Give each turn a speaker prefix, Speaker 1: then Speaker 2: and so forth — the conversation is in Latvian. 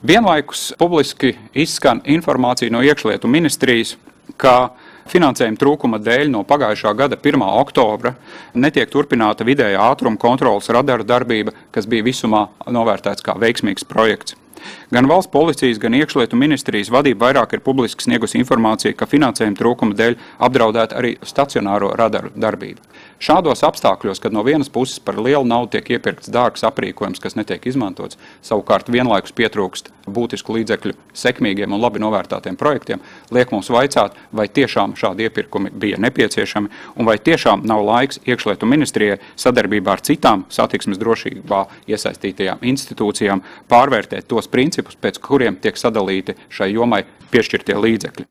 Speaker 1: Vienlaikus publiski izskan informācija no iekšlietu ministrijas, ka finansējuma trūkuma dēļ no pagājušā gada 1. oktobra netiek turpināta vidējā ātruma kontrolas radaru darbība, kas bija visumā novērtēts kā veiksmīgs projekts. Gan valsts policijas, gan iekšlietu ministrijas vadība vairāk ir publiski sniegusi informāciju, ka finansējuma trūkuma dēļ apdraudēta arī stacionāro radaru darbība. Šādos apstākļos, kad no vienas puses par lielu naudu tiek iepirkts dārgs aprīkojums, kas netiek izmantots, savukārt vienlaikus pietrūkst būtisku līdzekļu sekmīgiem un labi novērtētiem projektiem, liek mums vaicāt, vai tiešām šādi iepirkumi bija nepieciešami un vai tiešām nav laiks iekšlietu ministrijai sadarbībā ar citām satiksmes drošībā iesaistītajām institūcijām pārvērtēt tos principus, pēc kuriem tiek sadalīti šai jomai piešķirtie līdzekļi.